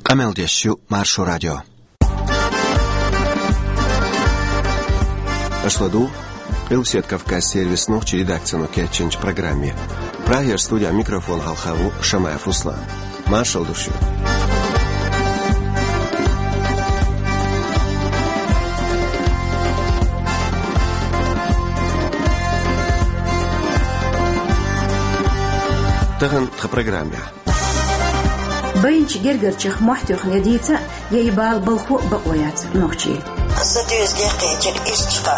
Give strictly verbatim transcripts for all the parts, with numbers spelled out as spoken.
Къамел деш ю Маршо радио. Аша ладугӀу Къилбаседа Кавказан сервисан нохчийн редакцино кечйинчу программе. Прагера студин микрофона хьалха ву Шамаев Руслан. Маршалла ду шуьга. Тахана тхан программехь. Байначу гергарчех мохь тоьхна я дийца, я и бала балхо бакъо яц нохчийн. Сан доьзал декхъяьлча иштта,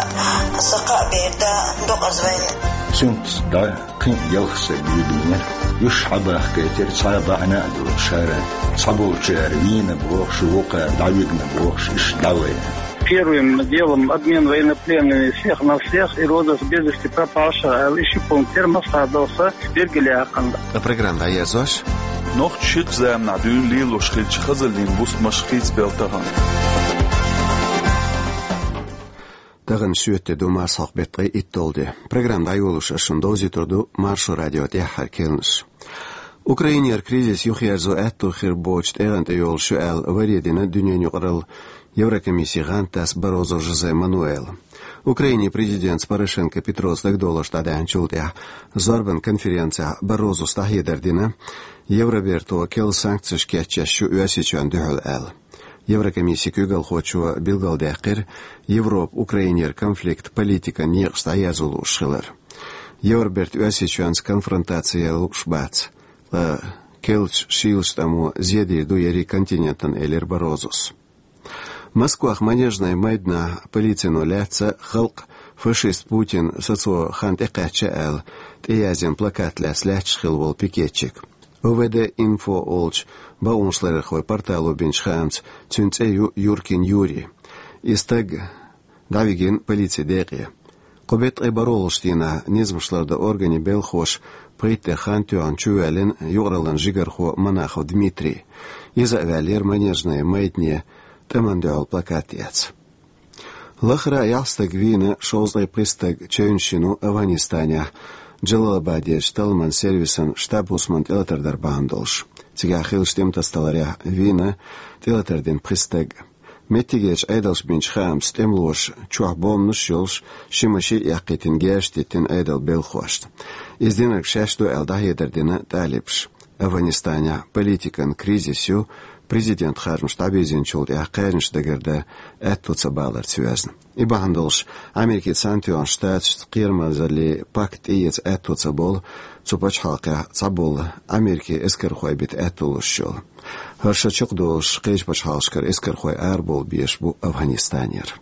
сан кхаа бер да докъаза вайна. Цуьнца дӀа кхин а ялх стаг вигнера. Уьш хьабахкийтира цхьа а бахьана а доцуш, хӀара цхьаболчара вийна бохуш, вукхара дӀавигна бохуш, иштта дӀавайна. Первым делом обмен военнопленными всех на всех и розыск без вести пропавших аьлла, и ши пункт тера массаьрга дала сан билгалъяьккхина. Ткъа программа дӀаерзош. Нохчаша ширачу заманахь дуьйна лелош хиллачу хазаллийн бустамаш хийцабелла тахана. Тахана шоьтан де ду, марсхьокху беттан ткъе итталгӀа де. Программа дӀайолош ас шуна довзуьйтур ду Маршо радион тӀаьххьара керланаш. Украинера кризис юхаерзо аьтто хир боцучу тӀегӀан тӀе йолуш ю аьлла, варе дина дуьненан юкъаралла Еврокомиссин гӀантдас Баррозу Жозе Мануэла. Украинин президентца Порошенко Петрос дагадовларш дӀадаьхьначул тӀаьхьа зорбан конференцехь Баррозус дӀахьедар дина, Евроберто керла санкцеш кечъеш ю Оьрсийчоьнна дуьхьал аьлла. Еврокомиссин куьйгалхочо билгалдаьккхира, Европа Украинера конфликт политикан некъаш дӀаерзо лууш хилар. Евроберта Оьрсийчоьнца конфронтаци яла лууш бац, ткъа керлачу шийлачу тӀамо зен дийр ду ерриг континентана, элира Баррозус. Москвахь Манежни майданахь полицино лаьцна халкъ фашист Путин сацо хан тӀекхаьчча аьлла, тӀеязйина плакат лаьцна лаьтташ хилла волу пикетчик. О В Д Инфо олучу бакъонашларъярхойн портало бинчу хаамца, цуьнан цӀе ю Юркин Юрий. И стаг дӀавигина полицин декъе. Кху беттан ткъе бархӀалгӀачу дийнахь низамаш лардан органийн белхахоша пхийтта де хан тоьхна чувоьллина юкъараллин жигархо Монахов Дмитрий. Иза а ваьллера Манежни майдане тӀамна дуьхьал плакат эцна. Лахара а ялх стаг вийна, шовзткъе пхи стаг чевнаш йина Афганистанехь, Джалалабадерчу талламан сервисан штаб-хӀусамна тӀелатар дар бахьана долуш. Цигахь хиллачу тӀематасадаларехь вийна, тӀелатар дина пхи стаг. Меттигерчу Ӏедалша бинчу хаамца, тӀемалоша чохь бомбанаш а йолуш, ши машин а эккхийтина, герзаш диттина Ӏедалан белхахошна. Иза динарг шаьш ду аьлла, дӀахьедар дина талибаша. Афганистанехь политикан кризис ю, президентан харжамаш дӀабирзинчул тӀаьхьа кхаьжнаш дагардан аьтто ца баларца йоьзна. И бахьана долуш, Америкин Цхьаьнатоьхначу Штаташца кхерамазаллин пакт тӀеэца аьтто ца болу цу пачхьалкхехь цхьаболу Америкин эскархой бита аьтто луш йолу. ХӀара шо чекхдолуш, кхечу пачхьалкхашкара эскархой арабовла безаш бу Афганистанера.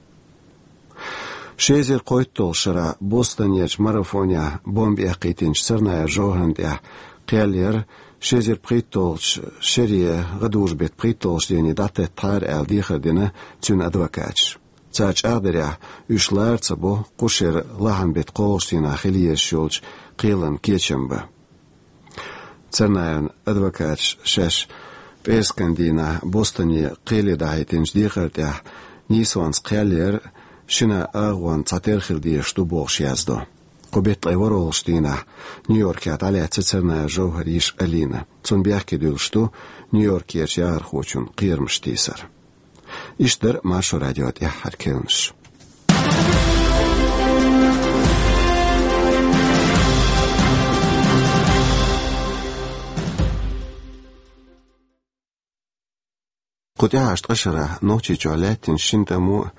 Ши эзар кхойтталгӀачу шарахь Бостонерчу марафонехь бомба эккхийтинчу Царнаев Жовхарна тӀехь кхел яра, ши эзар пхийтталгӀачу шаре гӀадужу-беттан пхийтталгӀачу дене дӀатеттахьара аьлла, дехар дина цуьнан адвокаташа. Цара чӀагӀдарехь, уьш лара ца бо кху шеран лахьан-беттан кхоалгӀачу дийнахь хила езаш йолчу кхелан кечам бан. Царнаевн адвокаташа шаьш пӀераскан дийнахь Бостоне кхеле дахьийтинчу дехар тӀехь нийсонца кхел яра, шина агӀонца цхьатерра хила дезаш ду бохуш яздо. Кху беттан ткъе ворхӀалгӀачу дийнахь Нью-Йоркехь дӀалаьцна Царнаев Жовхаран йиша Алина. Цунна бехке дуьллуш ду Нью-Йоркерчу яхархочун кхерамаш тийсар. Иштта дара Маршо радион тӀаьххьара керланаш. Кху тӀаьхьарчу ткъа шарахь Нохчийчохь лаьттинчу шина тӀамо а,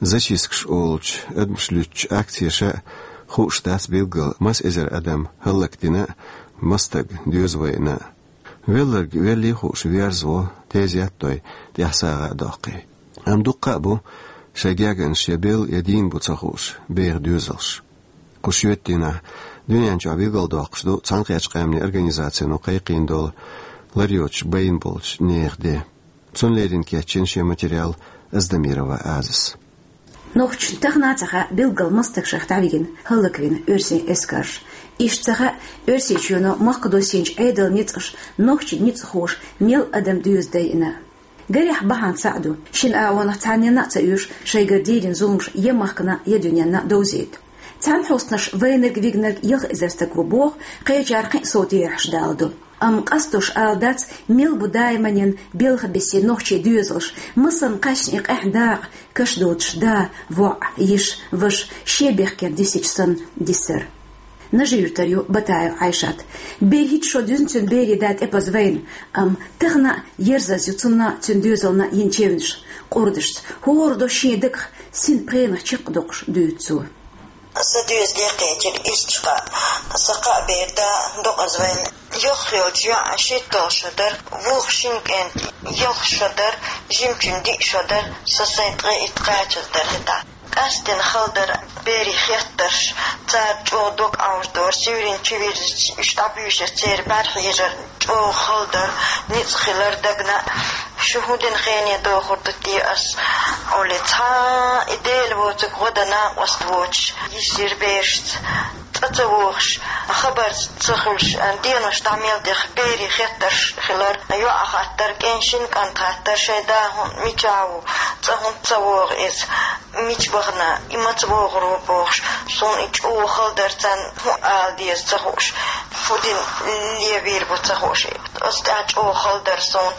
зачисткаш олучу адамаш луьттучу акцеша а хууш дац билггал, маса эзар адам хӀаллакдина а, маса стаг доьза вайна а. Велларг веллий хууш верзаво, тезет а дой, тӀехь сагӀа а доккхий. Амма дуккха а бу шайн гергарнаш я белла, я дийна бу ца хууш беха доьзалш. Кху шоьтан дийнахь дуьнен чохь билгалдоккхуш ду Цхьаьнакхеттачу Къаьмнийн Организацино кхайкхийна долу лар йоцуш байна болчу нехан де. Цунна леррина кечйина шен материал Аздамирова Азас. Нохчашна тахана а ца хаьа билггал маса стаг шайх дӀавигина, хӀаллаквина оьрсийн эскарша. Иштта ца хаьа Оьрсийчоьно махках доссийначу Ӏедалан ницкъаша нохчийн ницкъахоша мел адам доьза дайина. Гарехь, бахьана цхьаъ ду: шина агӀонах цхьанненна а ца оьшу шайгара дийрина зуламаш я махкана, я дуьненна довзийта. Цхьана хьостанаша вайнарг-вигнарг ялх эзар стаг ву боху, кхечара кхин а сов терахьаш даладо. Амма къастош ала дац, мел бу даиманен белха биссе нохчий доьзалш, масала, кхаьчна и къаьхьа дакъа, каш доцуш да, воӀ, йиша, ваша, шен бехкера дисича санна дисар. Нажи-Юьртара ю Батаева Ӏайшат. БерхӀитта шо дуьзна цуьнан берийн да тӀепаза вайна, амма тахана а ерзаза ю цунна а, цуьнан доьзална а йина чевнаш, къурдашца, хӀора до шен дагах синпхенах чекхдоккхуш дуьйцу цо. Сан доьзале кхечира ирча кхаъ. Сан кхаа бер да докъаза вайна. Йохйолчу йоӀан шийтталгӀа шо дара, вукху шина кӀентан ялх шо дара, жимачун диъ шо дара, сан сайн ткъе итт кхачаза дара хӀетахь. Къаьсттина хала дара берийн хеттарш, цара чӀогӀа дог Ӏовжадора, сиврин чу вирзича, уьш дӀабуьйшуш церан бӀаьрахьежар чӀогӀа хала дара, ницкъ хилар дагна. Шу хӀун дина хене дохур ду те ас? Олий, цхьа и Дела воцург гӀо дан накъост воцуш, йисира берашца, цӀа ца вогӀуш, хабар ца хуьлуш, денош дӀа мел деха берийн хеттарш хилар, йоӀа хаттар, кӀен шина кӀанта хаттар, шайн да хӀун, мичахь ву, цӀа хӀунда ца вогӀу иза, мича бахана, и маца вогӀур ву бохуш, суна и чӀогӀа хала дара, царна хӀун ала деза ца хууш, хӀун дина левийр бу ца хууш. Аса тӀехь чӀогӀа хала дара суна.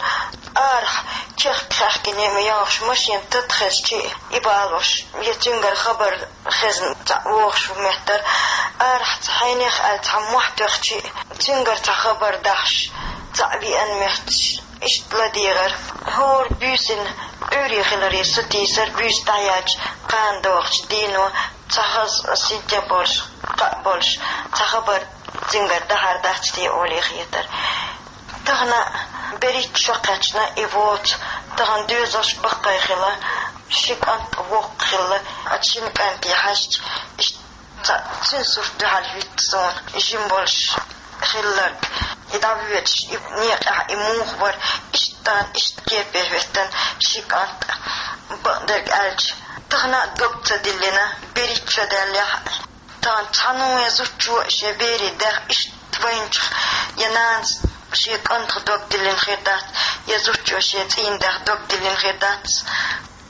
Арахь чехка хаьхкине ма йогӀуш, машен тата хезчи, и балош, я цуьнгара хабар хезна цхьаъ вогӀуш ву меттара, арахь цхьа хьенех аьлла цхьа мохь тоьхчи, цуьнгара цхьа хабар дахьаш, цхьаъ веана моьттуш, иштта ладегӀара. ХӀора буьйсанна Ӏуьйре хиларе со тийсар, буьйса дӀаяьлча, кхана догӀучу дийно, цхьа хаза синтем болуш, кхаъ болуш, цхьа хабар цуьнгара дахьар дац те олий хетара. Тахана берхӀитта шо кхаьчна и воцу, тахана доьзалш баккхий хилла, ши кӀант воккха хилла, оцу шина кӀанте хьаьжча, иштта цхьа цуьнан сурт дуьхьал хӀуьтту суна, жима болуш хилларг, и дӀавоьдуш, и некъехь и муха вара, иштта тахана, иштта кепе хӀоьттина ши кӀант, бакъдерг аьлча, тахана а дог ца диллина, берхӀитта шо даьллехь, тахана цхьанне а зудчо шен берийн дех иштта вайначух, я нанас шен кӀантах дог диллина хир дац, я зудчо шен цӀийнан дех дог диллина хир дац.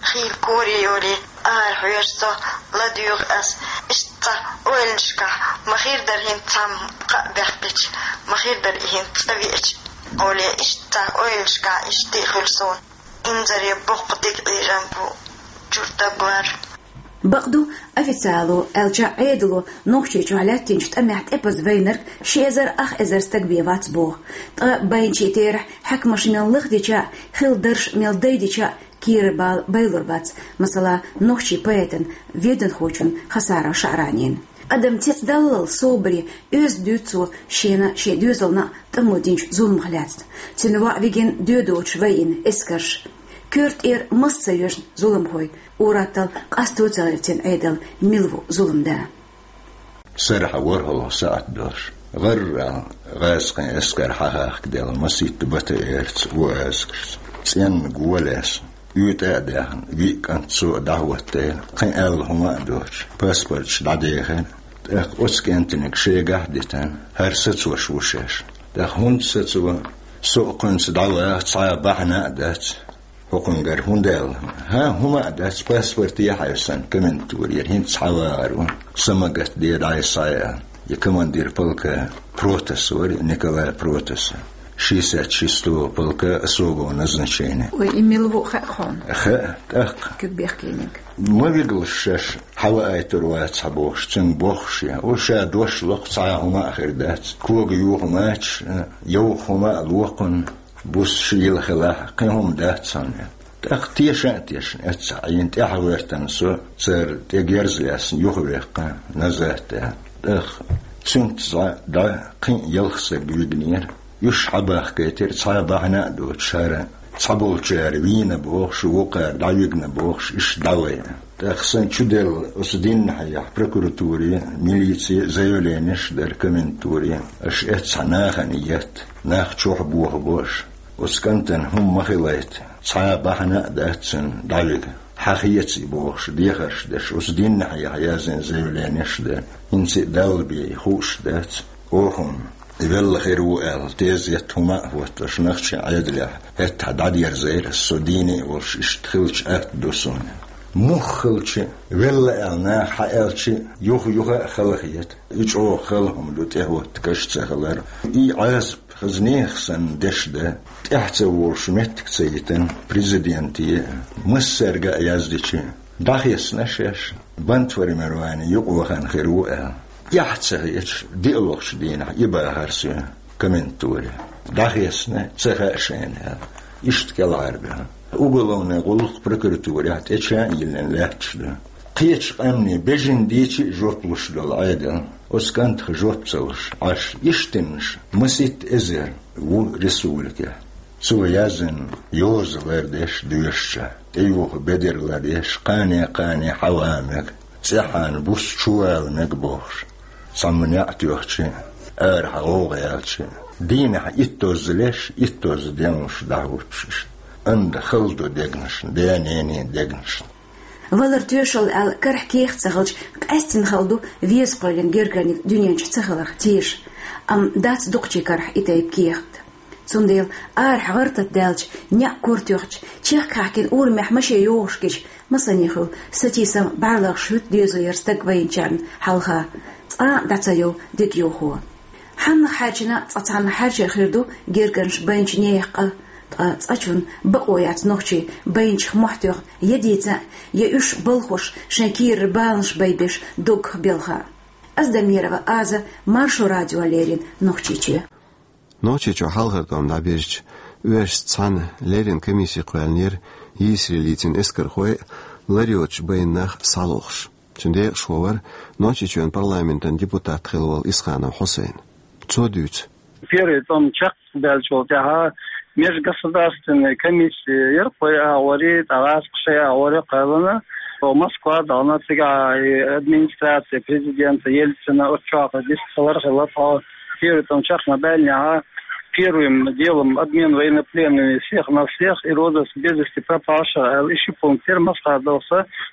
Хийла корайолий, ара хьоьжу со, ладуьйгӀу ас, иштта цхьа ойланашкахь, ма хир дара хӀинца цхьамма кхаъ баьккхича, ма хир дара и хӀинца цӀа веача олий, иштта цхьа ойланашкахь иштта а хуьлу суна. Инзаре боккха дика Ӏийрам бу, чуьра дагалар. Бакъду, официало аьлча, Ӏедало Нохчийчохь лаьттинчу тӀамехь тӀепаза вайнарг ши эзар ах эзар стаг бен вац боху. Ткъа байначийн терахь, хьаькамаша мел лахдича а, хилла дарш мел дайдича а, кийра бала байлур бац, масала, нохчийн поэтан, веданхочун Хасаров ШаӀранин. Адам цецдаллал собаре, оьзда дуьйцу цо шена а, шен доьзална а тӀамо динчу зуламах лаьцна. Цуьнан воӀ вигина доьдучу вайна эскарш. Коьрта тӀера мас ца йоьшна зуламхой, ур-атталла къасто ца гӀиртина Ӏедал мила ву зуламда. Сарахь ворхӀалгӀа сахьт долуш, гӀарра гӀазкхийн эскар хьахахкаделла масийтта БТР-ца, УАЗ-карца. ЦӀенна го лаьцна, уьйтӀа а даьхна, виъ кӀант цо а дӀахӀоттийна, кхин аьлла хӀума а доцуш, паспорташ дӀадехира. ТӀаккха оцу кӀентаниг шегахь а дитина, хӀара сацош ву шаьш. ТӀаккха хӀунда сацо, со а кхуьнца дӀаваха цхьа а бахьана а дац. ХӀокхуьнгара хӀунда аьлла? ХӀан, хӀума а дац, паспорт яхьа сан комендатурера, хӀинца хьавахар ву, са ма гатде дӀай схьа а. И командир полка Протас вара, Николай Протас. Шестьдесят шестого полка особого назначения. Ой, и мила ву хаьа хьуна? Хаьа, тӀаккха. Куьг бехкийниг. Ма вигалаш шаьш, хьаваийтур вац хьан бохуш, цуьнга бохуш я. О, ша дош локху, цхьа а хӀума а хир дац. Кога юха мачаш, йовха хӀума а локхунна. Бус шийла хилахь, кхин хӀума дац хьуна. ТӀаккха теша а тешна, эццахь Ӏийна тӀаьхьа гӀоьртина со, цара тӀе герз лаьцна юхаваьккхина, назад а. ТӀаккха цуьнца дӀа кхин а ялх стаг вигнера. Уьш хьабахкийтира цхьа а бахьана а доцуш хӀара. Цхьаболчара вийна бохуш, вукхара дӀавигна бохуш, иштта дӀавайна. ТӀаккха сан чуделла оцу дийнахьехь прокуратуре, милице заявленеш а дара комендатуре, аша эццахь нахана етта, нах чохь бохабо аша. Оцу кӀантана хӀума ма хилийта, цхьа а бахьана а дац цуьнан дӀавига. Хьан хеца и бохуш, дехарш деш, оцу дийнахьехь яздина заявленеш а дара. ХӀинца а Далла бен и хууш дац. Оха хӀума велла хир ву аьлла, тезет, хӀума а хӀоттош, нохчийн Ӏедалехь хӀетахь дӀадерзийра, со дийна а волуш, иштта хилча атта ду суна. Мух хилча, велла аьлла, наха хьааьлча, юха-юха а хала хета. И чӀогӀа хала хӀума ду, тӀехӀотта каш ца хилар. И Ӏазап хаза нехан санна деш да, тӀехьа ца волуш меттиг ца йитина, президенте а, массаьрга а яздича, дӀахецна шаьш, бандформирование юкъа вахана хир ву аьлла. Эхь ца хеташ, диълагӀчу дийнахь и бахар соьга комментари. ДӀахецна, ца хаьа шайна аьлла. Иштта кӀелхьарбаьхна. Уголовный гӀуллакх прокуратурехь тӀе чан а йиллина лаьтташ ду. Кхечу къаьмнийн бежана дийча а жоп луш долу Ӏедал, оцу кӀантах жоп ца луш, Ӏаш, иштанаш маситта эзар ву республикехь. Цо яздина йоза лардеш доьшучохь, тӀеюху бедар лардеш, кхане-кхане хьаван мега, цӀеххьана буса чувала мега бохуш, цхьамма неӀ тоьхча, арахь гӀовгӀа яьлча, дийнахь иттозза леш, иттозза денлуш дӀахӀуттуш иштта. Анда хала ду дегнашна, ден-ненан дегнашна. Валар тоьшалла аьлла карахь кехат ца хилча, къаьстина хала ду веза кхоьллина гергарниг дуьнен чу ца хиларх теша. Амма дац дукхачийн карахь и тайпа кехат. Цундела арахь гӀар-тата даьлча, неӀ кура тоьхча, чехка хьаьхкина урамехь машен йогӀуш гича, масане хуьлу сатийсам, бӀаьрлагӀаш хӀуьтту дезо яра стаг вайначарна хьалха, цкъа а дӀа ца йову дегайовхо. Хьаннах хьаьрчина цкъа цхьанна хьаьрча хир ду гергарнаш байначу нехан къа, ткъа цкъачунна бакъо яц нохчий байначех мохь тоьхна я дийца, я уьш балхош шайн кийрара баланаш байбеш доггах белха. Аздамирова Аза, Маршо радиона леррина Нохчийчоь. Нохчийчохь хьалхара тӀом дӀабирзича, оьшшца цхьаьна леррина комисси кхоьллинера йийсаре лецна эскархой а, лар йоцуш байна нах а схьалохуш. Цуьнан декъашхо вара Нохчийчоьнан парламентан депутат хилла волу Исханов Хьусайн. Цо дуьйцу. Первый тӀом чекхбаьллачул тӀаьхьа межгосударственная комиссия яра кхо агӀор, тӀаккха гӀазкхаша агӀор кхоьллина. Москва а дахана, цигахь и администрация президента Ельцина, оцу чохь дистхилар хилла тхо. Первый тӀом чекх ма баьллинехь, первым делом обмен военнопленными всех на всех и розыск без вести пропавших аьлла, и ши пункт яра, массара а долуш,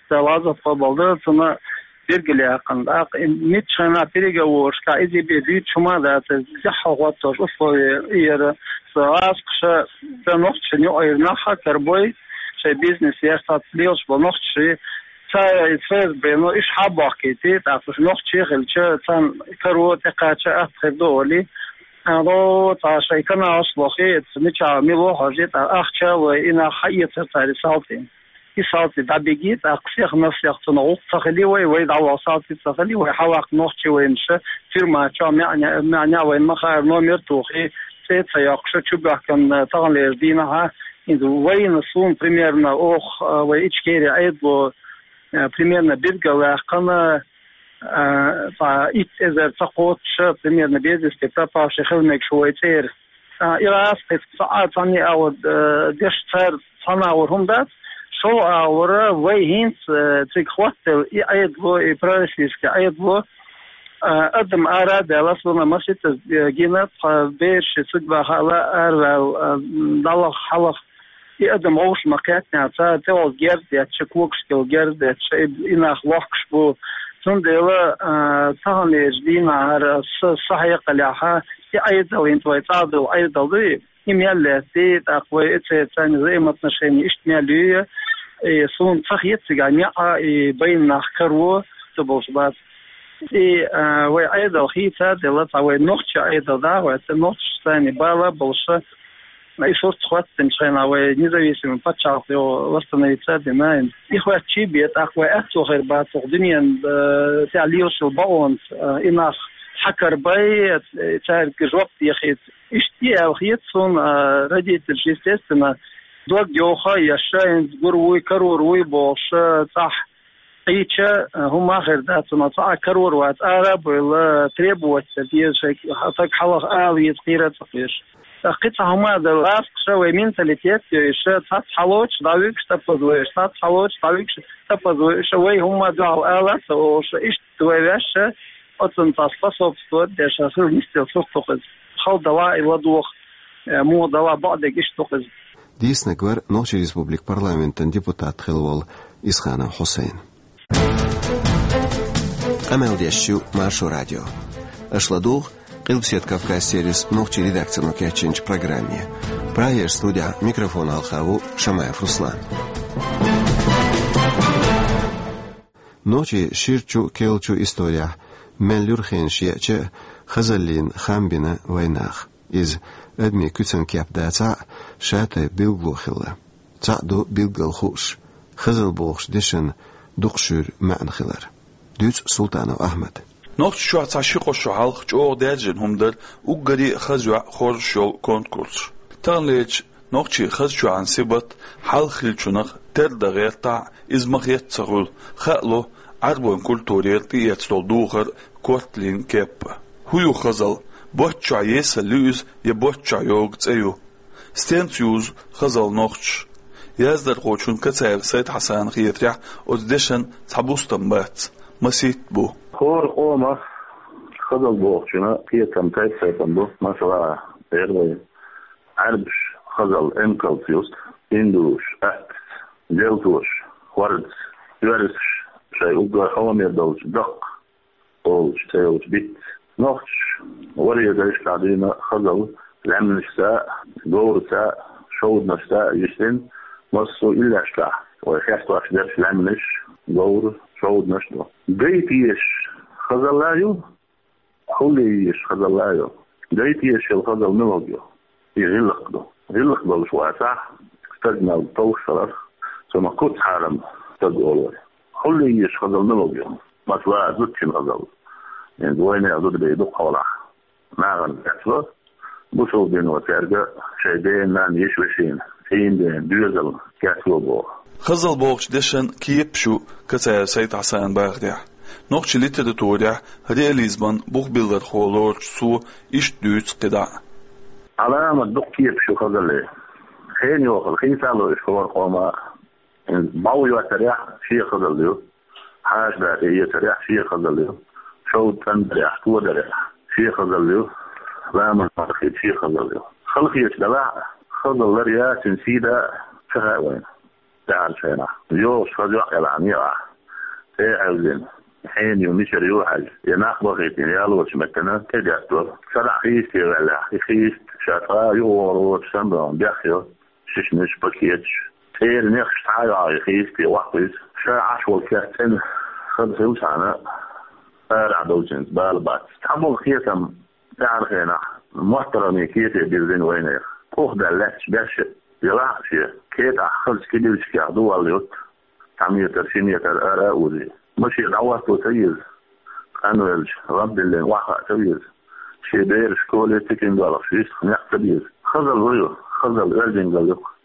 ца лаза тхо балда, цунна билгалъяьккхина. ТӀаккха и миччахьа переговорашкахь иза бен дуьйцуш хӀума а дац, дехьа хӀоттош условия яра. Со гӀазкхаша, ца нохчашна юкъара нах а карабой, шайн бизнес еш цхьацца лелаш болу нохчашна, ца, ца ФСБ-но, уьш хьабохкийти, тӀаккха уьш нохчий хилча, царна каро тӀекхача атта хир ду олий. Ало, цхьа шайн каналаш лохий, мичахь мила ву хьожий, тӀаккха ахча а лой, и нах хьаэцар цара и салтий. И салтий дӀабигий, тӀаккха всех на всех цунах гӀуллакх ца хилий вай, вай дӀаваха салтий ца хилий вай, хьаваккха нохчий вайна ша, тюрьма чохь маьӀне, маьӀне вайна ма хаара, номер тухий, цӀе ца йоккхуш, чубоьхкина таханлерчу дийнахьа, хӀинца вайна суна примерно оха, а, вай Ичкери Ӏедало, а, примерно билгалваьккхина, а, цхьа итт эзар ца кхоччуш, примерно без вести пропавший хила мегаш ву вай цӀера. А, и гӀазкхи цхьа а, цхьанна а агӀор, а, деш цара цхьана агӀор хӀума дац, шолгӀа агӀора вай хӀинца, а, цига хӀоттаелла и Ӏедало, и пророссийский Ӏедало, а, адам ара а даьлла, суна масийтта, а, гина, тхан бераш цига баха ала, араваьлла, а, дӀалаха, хьалаха. И адам вовшах ма кхеттинехь, цара тӀехула герз детташ, когашкахула герз детташ, и, и нах лохкуш бу. Цундела, а, таханлерчу дийнахьара са, са хьекъалехь, и Ӏедал, хӀинца вай цӀа долу Ӏедал дуй, и мел лаьттий, тӀаккха вай и церан царна взаимоотношения иштта мел юй, и суна ца хета цигахь неӀ а, и байна нах каро ца болуш бац. И, а, вай Ӏедал хийца а делла, цхьа вай нохчийн Ӏедал дӀа а гӀоьртина, нохчашца царна бала а болуш, и сурт хӀоттийначу хенахь вай независимый пачхьалкх йо восстановиться а дина. И хӀоьттича бен, тӀаккха вай аьтто хир бац хӀокху дуьненан, а, тӀехь лелаш йолу бакъонца, а, и нах хьакарабай, а, цаьрга жоп дехийта. Иштта и аьлла хета суна, а, родительш, естественно, дог йовха а еш, хӀинца гур вуй, карор вуй бохуш, а, цӀахь Ӏийча, а, хӀума хир дац, амма цхьа а карор вац, ара а бевлла, требовать ца деза, шайн стаг хьалха ала веза, кхера а ца кхоьруш. ТӀаккха кхин цхьа хӀума а дара, гӀазкхаша вай менталитет а йойуш, цхьацца хьалоцуш дӀавуьгуш тӀапаза вуьгуш, цхьацца хьалоцуш дӀавуьгуш тӀапаза вуьгуш, вай хӀума дуьхьал ала а ца олуш, иштта вай ваьшша, оцунна цхьа способствовать деш, хила нисделла сурт ду-кх иза. Хала далахь а и ладогӀа, э, муха далахь а бакъдерг иштта ду-кх иза. Дийцинарг вара Нохчийн Республикан парламентан депутат хилла волу Исханов Хьусайн. Къамел деш ю Маршо радио. Аша ладугӀу Къилбаседа Кавказ сервисан нохчийн редакцино кечйинчу программе. Прагерчу студехь микрофона хьалха ву Шамаев Руслан. Нохчийн ширачу а, керлачу а исторехь мел юьра хенаш еача а, хазаллина хам бина вайнаха. Иза адамийн куьцан кеп дацахь а, шатайпа билгало хилла. Цхьаъ ду билггал хууш, хазалла бохучу дешан дукхашхуьра маьӀна хилар. Дуьйцу Султанов Ахьмада. Нохчийчохь цхьа ши-кхо шо хьалха чӀогӀа даьржина хӀума дара уггаре а хаза йоӀ хоржуш йолу конкурс. Таханлерчу нохчийн хазачоьнан сибат хьалха хиллачунах тера дан гӀертахь а, иза ма-хетта ца хуьлу, хаало Ӏаьрбойн культурера тӀеэцна долу духар, корта лин кеп. ХӀун ю хазалла? Боцчохь есалла ю иза я боцчохь йогу цӀе ю? Стенца юзу хазалла нохчаша? Яздархочун Кацаев Сайд-Хьасанна хетарехь, оцу дешан цхьа бустам бац, масийтта бу. ХӀора къомах хазалла бохучунна кхетам тайп-тайпана бу. Масала, эр вай, Ӏаьрбаша хазалла эмкалца юсту, индуша аттаца, делтоша хордаца, оьрсаша шайн уггар хьомера долчу даккха олучу цӀе йолчу битца. Нохчаша варе дайшкахь дуьйна хазалла лаьмнашца а, говраца а, шовданашца а йистина, массо а иллешкахь вай хестош дерш лаьмнаш, говр, шовданаш ду. Гайта езаш хазалла а ю, хьулъе езаш хазалла а ю. Гайта езаш йолу хазалла муьлха ю? И гӀиллакх ду. ГӀиллакх долуш вацахь, стаг мел товш хиларх, цунах куц-хьарам стаг олу вай. Хьулъе езаш хазалла муьлха ю? Масала, зудчун хазалла. ХӀинца вайнехан зуда бен дукха хьолахь нахана кечло, бусалба дино цаьрга шайн дена-нанна, йиша-вешина, цӀийнан дена доьзал кечло боху. Хазалла бохучу дешан кепаш ю Кацаев Сайд-Хьасанна бахарехь. Нохчийн литературехь реализман бухбиллархо лоручу цо иштта дуьйцу кхидӀа а. Ӏаламат дукха кепаш ю хазаллин. Хенан йохалла хийцало уьш хӀора къоман а. БӀов йоттарехь шен хазалла ю, хьаша да тӀеэцарехь шен хазалла ю, шовда цӀандарехь, тодарехь шен хазалла ю, ламаз мархийта шен хазалла ю. Халахеташ делахь а, хазалла лар а, цуьнан сий дан а ца хаьа вайна. ТӀаьхьарчу хенахь йогӀуш хаза йоӀ елахь некъахь, цӀе а хьаьвзина, хьенан ю, мичара ю а хьаьжна, я нах бахийтина ялочу меттана тӀедеттало. Цхьа дӀа хийсте ваьллехь, и хийста ша цкъа а юхавогӀур воцуш санна бехйо, шишанаш, пакеташ, цӀера нехаш цхьа а йогӀий хийсте ваккхийта, ша Ӏаш волу кест цӀена хаза хилчхьана, арахь долчуьнца бала бац. Цхьаболу кхетам тӀаьхьарчу хенахь моттаргӀанийн кете бирзина вайнехан. Къухдаьлла лаьтташ беш елахь а, шен кетӀахь хазачу кибирчигех ду валла ютту, цхьа метр, ши метр ара а узий. Машен дӀахӀотто ца еза, къанвелча, гӀабдиллина охьахаа ца веза. Шен бераш школе тикина доьлхуш, йистах некъ ца беза. Хазалла хӀун ю? Хазалла оьздангалла ю-кх.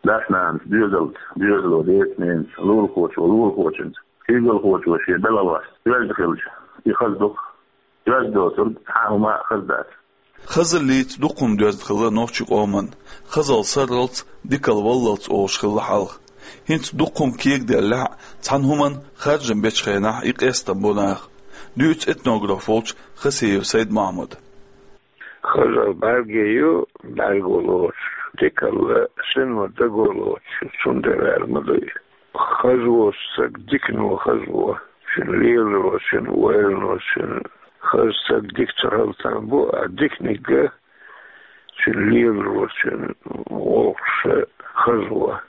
Дас-нанас доьзалца доьзало, деца-ненаца, лулахочо лулахочуьнца, куьйгалхочо шен белхалошца оьзда хилча, и хаза ду-кх. Оьзда доцург цхьа а хӀума а хаза дац. Хазаллица дукха хӀума доьзна хилла нохчийн къоман, хазалла сарралц дикалла валлалц олуш хилла хьалха. ХӀинца дукха хӀума кегаделлехь а, цхьана хӀуманна харжам бечу хенахь и къестам бо наха, дуьйцу этнограф волчу Хасиев Сайд-Мохьмада. Хазалла бӀаьрге ю, бӀаьрго лоцуш, дикалла сино даго лоцуш, цундела аьлла ма дуй. Хаза волу стаг дикано хаза во, цуьнан леларо, цуьнан ойлано, цуьнан хаза стаг дика ца хила там бу, а диканиг а цуьнан леларо, цуьнан гӀуллакхаш а хаза во.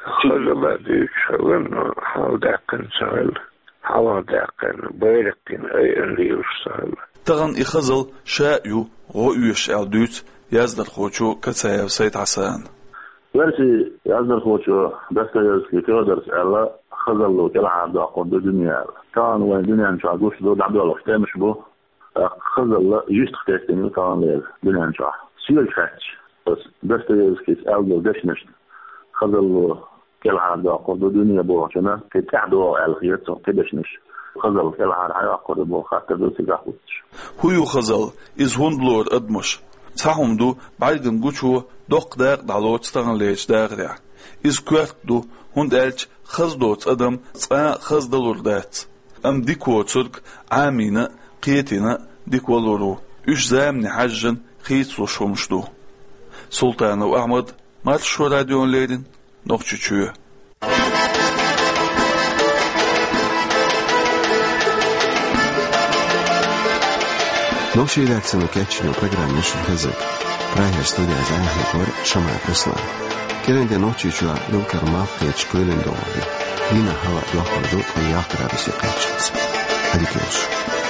Хазалла дуьйцуш хилла, но хьалдаьккхина ца хилла, хьалхадаьккхина, байракх йина айина лелаш ца хилла. Тахана и хазалла ша а ю гӀо оьшуш аьлла дуьйцу яздархочо Кацаев Сайд-Хьасана. Оьрсийн яздархочо Достоевский Фёдора аьлла, хазалло кӀелхьардоккхур ду дуьне аьлла. Тахана вайн дуьнен чохь гуш ду, дӀадоьлхуш тӀемаш бу. ТӀаккха хазалла юьстах тесна ю таханлера дуьнен чохь. Соьга хаьттича, аса Достоевскийс аьлла долу дешнашна, хазалло кӀелхьардоккхур ду дуьне бохучунна кхин тӀаьхьа догӀу аьлла хета суна кхин дешнаш. Хазалла кӀелхьара хьан йоккхур ю боху хаттар ду цигахь хӀуттуш. ХӀун ю хазалла? Иза хӀунда лору адамаша? Цхьа хӀума ду, бӀаьргана гучо доккха дакъа дӀалоцу таханлерчу дахарехь. Иза коьрта ду, хӀунда аьлча хаза доцу адам цкъа а хаза далур дац. Амма дика воцург Ӏамийна а, кхетийна а дика валур ву. Уьш замане хьаьжжина хийцалуш хӀумаш ду. Султанов Ахьмад, Маршо радиона леррина, Нохчийчоь. Нохчийн редакцино кечйина программа ю шуна хезиг. Прагера студехь хетара Шамаев Руслан. КӀирэнден нохчийчоа Лёвкар малх кхетача кхоьлина догӀа хир. Дийнахьа хӀаваъ дохкар ду, ткъа яккхарабесса кхаьччалца. Ӏадика йойла шун.